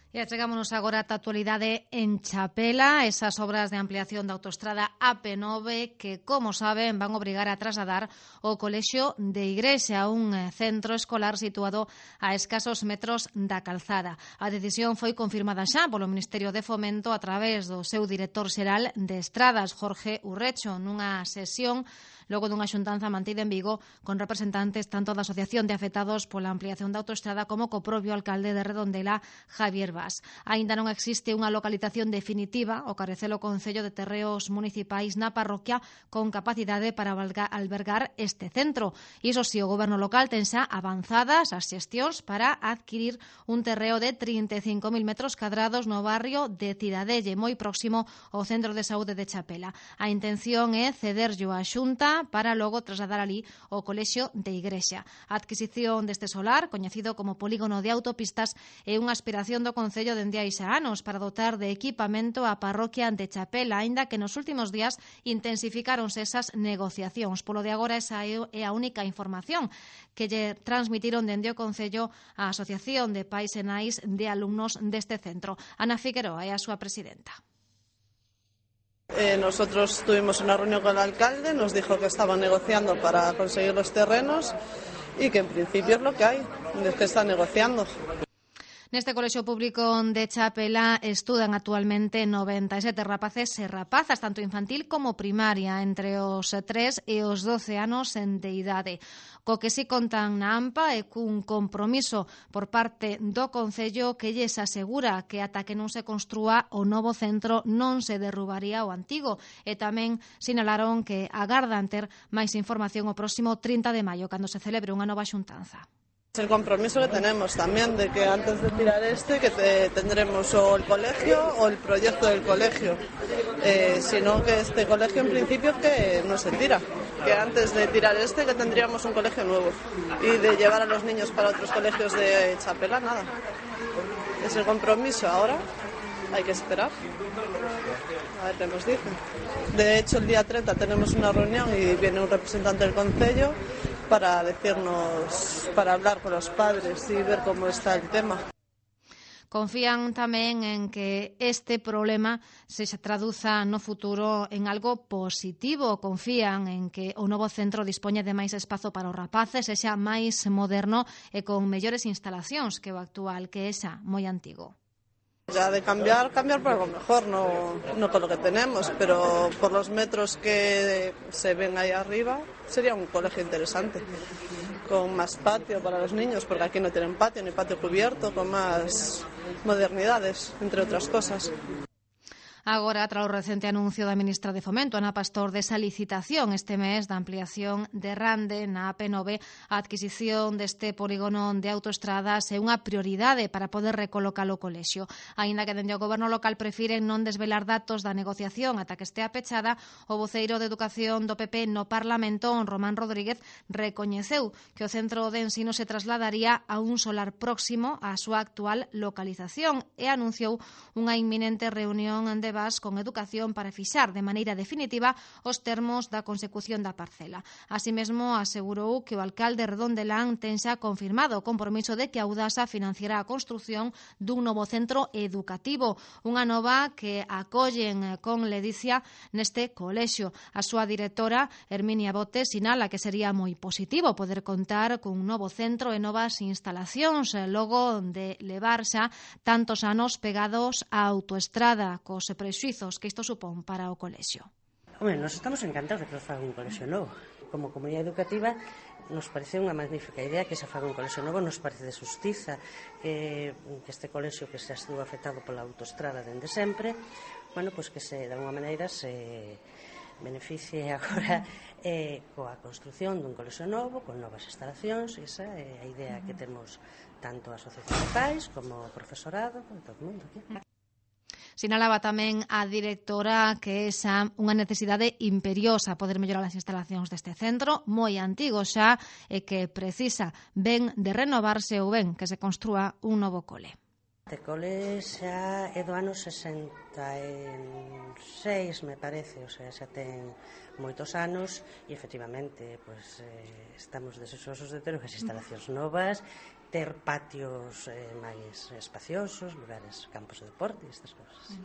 E achegámonos agora á actualidade en Chapela, esas obras de ampliación da autoestrada AP9 que, como saben, van obrigar a trasladar o colexio de Igrexa, un centro escolar situado a escasos metros da calzada. A decisión foi confirmada xa polo Ministerio de Fomento a través do seu director xeral de Estradas, Jorge Urrecho, nunha sesión logo dunha xuntanza mantida en Vigo con representantes tanto da Asociación de Afectados pola ampliación da autoestrada como co propio alcalde de Redondela, Javier Bas. Aínda non existe unha localización definitiva, o carecel o Concello de Terreos Municipais na parroquia con capacidade para albergar este centro. Iso si, o goberno local ten xa avanzadas as xestións para adquirir un terreo de 35.000 metros cadrados no barrio de Cidadelle, moi próximo ao Centro de Saúde de Chapela. A intención é cederllo á Xunta para logo trasladar ali o colexio de Igrexa. A adquisición deste solar, coñecido como polígono de autopistas, é unha aspiración do Concello dende hai xa anos para dotar de equipamento a parroquia de Chapela, aínda que nos últimos días intensificáronse esas negociacións. Polo de agora, esa é a única información que lle transmitiron dende o Concello á Asociación de Pais e Nais de Alumnos deste centro. Ana Figueroa é a súa presidenta. Nosotros tuvimos una reunión con el alcalde, nos dijo que estaban negociando para conseguir los terrenos y que en principio es lo que hay, es que están negociando. Neste colexio público de Chapela estudan actualmente 97 rapaces e rapazas, tanto infantil como primaria, entre os 3 e os 12 anos de idade. Co que si contan na AMPA e cun compromiso por parte do Concello que lles asegura que ata que non se construa o novo centro non se derrubaría o antigo, e tamén sinalaron que agardan ter máis información o próximo 30 de maio, cando se celebre unha nova xuntanza. Es el compromiso que tenemos también de que antes de tirar que tendremos o el colegio o el proyecto del colegio, sino que este colegio en principio que no se tira, que antes de tirar que tendríamos un colegio nuevo y de llevar a los niños para otros colegios de Chapela, nada. Es el compromiso, ahora hay que esperar a ver qué nos dicen. De hecho, el día 30 tenemos una reunión y viene un representante del Concello para decirnos, para hablar con los padres y ver cómo está el tema. Confían tamén en que este problema se traduza no futuro en algo positivo. Confían en que o novo centro dispoña de máis espazo para os rapaces, sexa máis moderno e con mellores instalacións que o actual, que é xa moi antigo. Ya de cambiar por algo mejor, no con lo que tenemos, pero por los metros que se ven ahí arriba sería un colegio interesante, con más patio para los niños, porque aquí no tienen patio ni patio cubierto, con más modernidades, entre otras cosas. Agora, tras o recente anuncio da ministra de Fomento, Ana Pastor, desa licitación este mes da ampliación de Rande na AP9, a adquisición deste polígono de autoestradas é unha prioridade para poder recolocar o colexio. Aínda que dende o goberno local prefiren non desvelar datos da negociación ata que estea pechada, o voceiro de Educación do PP no Parlamento, Román Rodríguez, recoñeceu que o centro de ensino se trasladaría a un solar próximo á súa actual localización e anunciou unha inminente reunión de Bas con Educación para fixar de maneira definitiva os termos da consecución da parcela. Así mesmo, asegurou que o alcalde Redondelán ten xa confirmado o compromiso de que a Audasa financiará a construción dun novo centro educativo, unha nova que acollen con ledicia neste colexio. A súa directora, Herminia Bote, sinala que sería moi positivo poder contar cun novo centro e novas instalacións logo de levar xa tantos anos pegados á autoestrada, cos prexuizos que isto supón para o colexio. Hombre, nos estamos encantados de que nos faga un colexio novo. Como comunidade educativa nos parece unha magnífica idea que se faga un colexio novo, nos parece de xustiza que este colexio que se estuvo afectado pola autoestrada dende sempre, bueno, pois que se, de alguma maneira, se beneficie agora coa construción dun colexio novo, con novas instalacións, esa é a idea que temos tanto a asociación de pais como o profesorado, todo o mundo aquí. Sinalaba tamén a directora que é xa unha necesidade imperiosa poder mellorar as instalacións deste centro, moi antigo xa, e que precisa ben de renovarse ou ben que se construa un novo cole. Este cole xa é do ano 66, me parece, o sea, xa ten moitos anos e efectivamente, pues, estamos deseosos de ter unhas instalacións novas ter patios máis espaciosos, lugares, campos de deporte e estas cousas.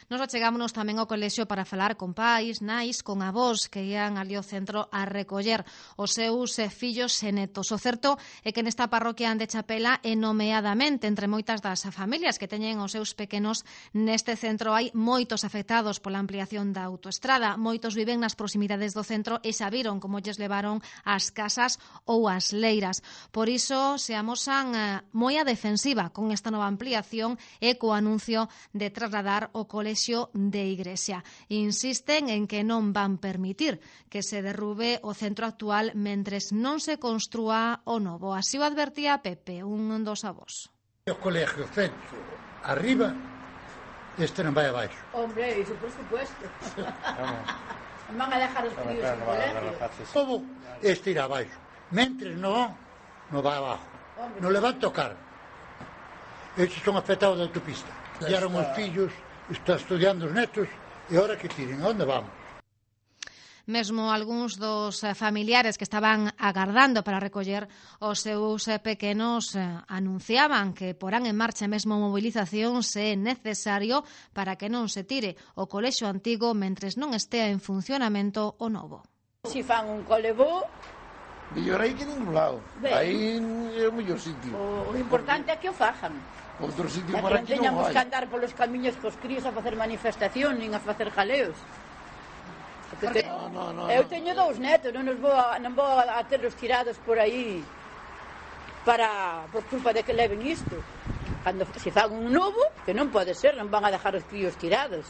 Nos achegámonos tamén ao colexio para falar con pais, nais, con avós que ian ali ao centro a recoller os seus fillos e netos. O certo é que nesta parroquia de Chapela e nomeadamente entre moitas das familias que teñen os seus pequenos neste centro hai moitos afectados pola ampliación da autoestrada. Moitos viven nas proximidades do centro e xa viron como lles levaron as casas ou as leiras. Por iso se amosan moi a defensiva con esta nova ampliación e co anuncio de trasladar o colexio de Igrexa. Insisten en que non van permitir que se derrube o centro actual mentres non se construa o novo. Así o advertía Pepe, un dos avós. O colegio centro arriba, este non vai abaixo. Hombre, iso por supuesto. Van a dejar os críos en colegio. Todo este irá abaixo. Mentres non vai abaixo. Non le van tocar. Estes son afectados da autopista. Tiaron os fillos, está estudiando os netos, e ahora que tiren, a onde vamos? Mesmo algúns dos familiares que estaban agardando para recoller os seus pequenos anunciaban que porán en marcha mesmo movilización se é necesario para que non se tire o colexio antigo mentres non estea en funcionamento o novo. Si fan un colebó, mellor aí que ningún lado. Aí é o mellor sitio. O importante é que o fajan. Outro sitio para para aquí non teñamos vai. que andar polos camiños cos críos a facer manifestación, nin a facer jaleos. Eu teño 2 netos, non vou a terlos tirados por aí por culpa de que leven isto. Cando se fan un novo, que non pode ser, non van a dejar os críos tirados.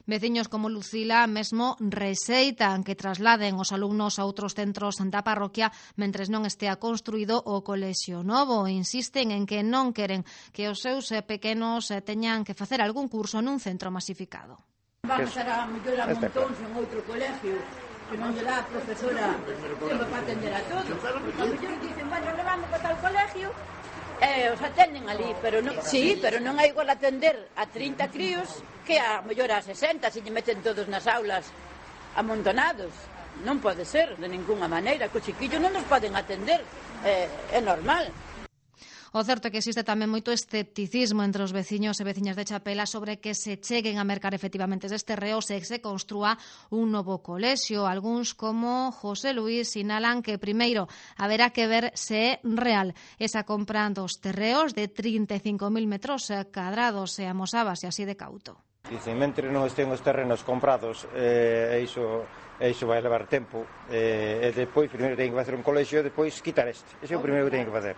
Veciños como Lucila mesmo rexeitan que trasladen os alumnos a outros centros da parroquia mentres non estea construído o colexio novo. Insisten en que non queren que os seus pequenos teñan que facer algún curso nun centro masificado. Vamos a mellor a montóns en outro colegio que non lle dá a profesora tempo para atender a todos. A mellor dicen, bueno, levamos para tal colegio os atenden ali, pero non, sí, pero non é igual atender a 30 críos que a mellor a 60, se lle meten todos nas aulas amontonados. Non pode ser, de ninguna maneira, que os chiquillos non nos poden atender, é normal. O certo é que existe tamén moito escepticismo entre os veciños e veciñas de Chapela sobre que se cheguen a mercar efectivamente estes terreos e que se construa un novo colexio. Algúns, como José Luis, sinalan que primeiro haberá que ver se é real esa compra dos terreos de 35.000 metros cadrados e amosábase así de cauto. Dicen, mentre non estén os terrenos comprados, iso vai levar tempo, e depois, primeiro ten que facer un colexio, e depois quitar este. Ese é o primeiro que ten que facer.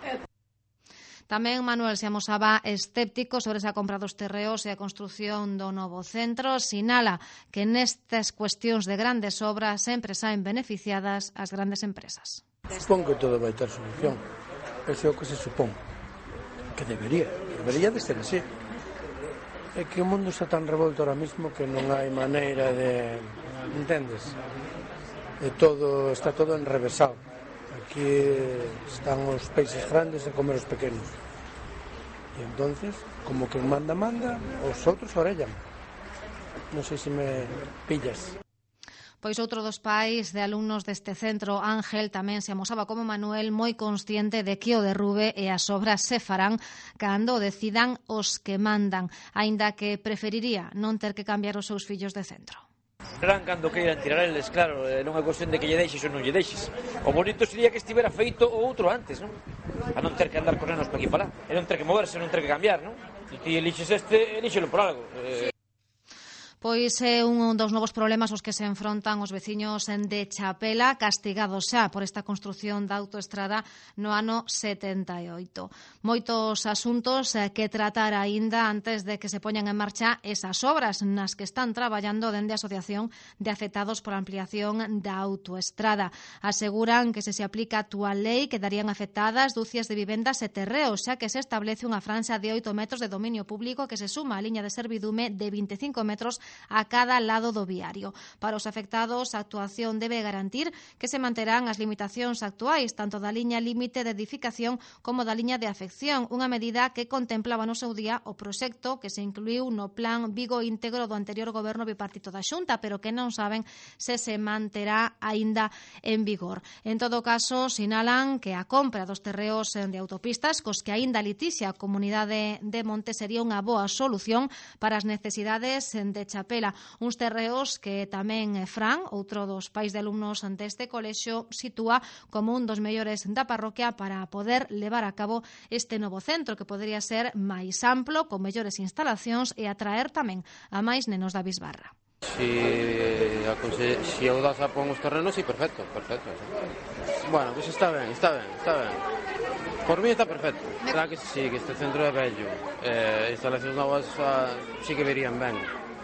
Tamén Manuel se amosaba escéptico sobre esa compra dos terreos e a construción do novo centro. Sinala que nestas cuestións de grandes obras sempre saen beneficiadas as grandes empresas. Supón que todo vai ter solución. Ese é o que se supón. Que debería de ser así. É que o mundo está tan revolto ahora mismo que non hai maneira de... Entendes? Está todo enrevesado. Aquí están os peixes grandes a comer os pequenos. E entonces, como que manda, os outros orellan. Non sei se me pillas. Pois outro dos pais de alumnos deste centro, Ángel, tamén se amosaba como Manuel moi consciente de que o derrube e as obras se farán cando o decidan os que mandan, aínda que preferiría non ter que cambiar os seus fillos de centro. Serán cando queiran tirar eles, claro, non é cuestión de que lle deixes ou non lle deixes. O bonito sería que estivera feito o outro antes, non? A non ter que andar cos nenos para aquí para lá, e non ter que moverse, non ter que cambiar, non? Se ti elixes este, elíxelo por algo. Pois é un dos novos problemas aos que se enfrontan os veciños de Chapela, castigados xa por esta construción da autoestrada no ano 78. Moitos asuntos que tratar aínda antes de que se poñan en marcha esas obras nas que están traballando dende a Asociación de Afectados por Ampliación da Autoestrada. Aseguran que se aplica a actual lei quedarían afectadas dúcias de vivendas e terreos, xa que se establece unha franxa de 8 metros de dominio público que se suma á liña de servidume de 25 metros a cada lado do viario. Para os afectados, a actuación debe garantir que se manterán as limitacións actuais, tanto da liña límite de edificación como da liña de afección, unha medida que contemplaba no seu día o proxecto que se incluiu no Plan Vigo íntegro do anterior goberno bipartito da Xunta, pero que non saben se manterá aínda en vigor. En todo caso, sinalan que a compra dos terreos de autopistas, cos que aínda litixia a Comunidade de Monte, sería unha boa solución para as necesidades de Chapela. Uns terreos que tamén Fran, outro dos pais de alumnos deste colexio, sitúa como un dos mellores da parroquia para poder levar a cabo este novo centro, que podría ser máis amplo, con mellores instalacións e atraer tamén a máis nenos da Bisbarra. Si Audasa pon os terrenos, sí, perfecto. Bueno, pues está ben. Por mí está perfecto. Claro que sí, que este centro é bello. Instalacións novas sí que verían ben.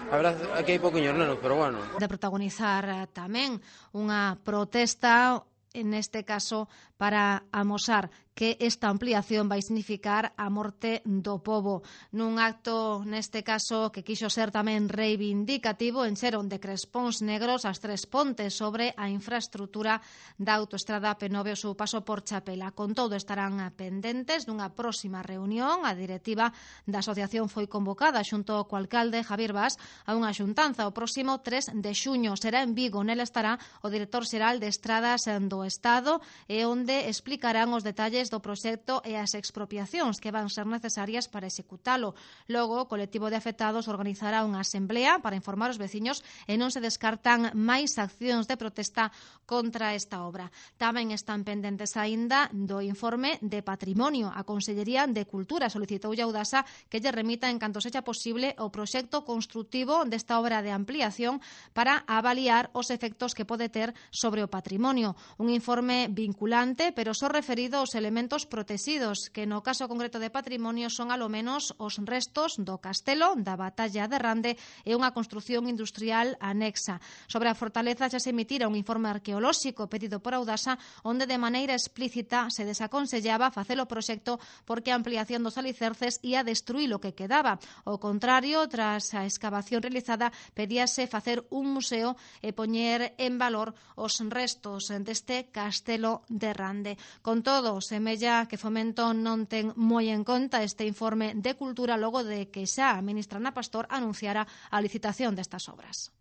A verdade, aquí hai pouquiños nenos, pero bueno. De protagonizar tamén unha protesta, neste caso, para amosar que esta ampliación vai significar a morte do pobo. Nun acto, neste caso, que quixo ser tamén reivindicativo, encheron de crespóns negros as 3 pontes sobre a infraestrutura da autoestrada P9 o seu paso por Chapela. Con todo, estarán pendentes dunha próxima reunión. A directiva da asociación foi convocada xunto co alcalde Javier Bas a unha xuntanza o próximo 3 de xuño. Será en Vigo. Nela estará o director xeral de Estradas do Estado e onde explicarán os detalles do proxecto e as expropiacións que van ser necesarias para executalo. Logo, o colectivo de afectados organizará unha asamblea para informar os veciños e non se descartan máis accións de protesta contra esta obra. Tamén están pendentes aínda do informe de patrimonio. A Consellería de Cultura solicitou a Audasa que lle remita en canto sexa posible o proxecto construtivo desta obra de ampliación para avaliar os efectos que pode ter sobre o patrimonio. Un informe vinculante, pero só referido aos elementos protegidos, que no caso concreto de patrimonio son alo menos os restos do castelo da batalla de Rande e unha construción industrial anexa. Sobre a fortaleza xa se emitira un informe arqueolóxico pedido por Audasa, onde de maneira explícita se desaconsellaba facer o proxecto porque a ampliación dos alicerces ia destruir o que quedaba. Ao contrario, tras a excavación realizada, pedíase facer un museo e poñer en valor os restos deste castelo de Rande. Con todo, semella que Fomento non ten moi en conta este informe de cultura logo de que xa a ministra Ana Pastor anunciara a licitación destas obras.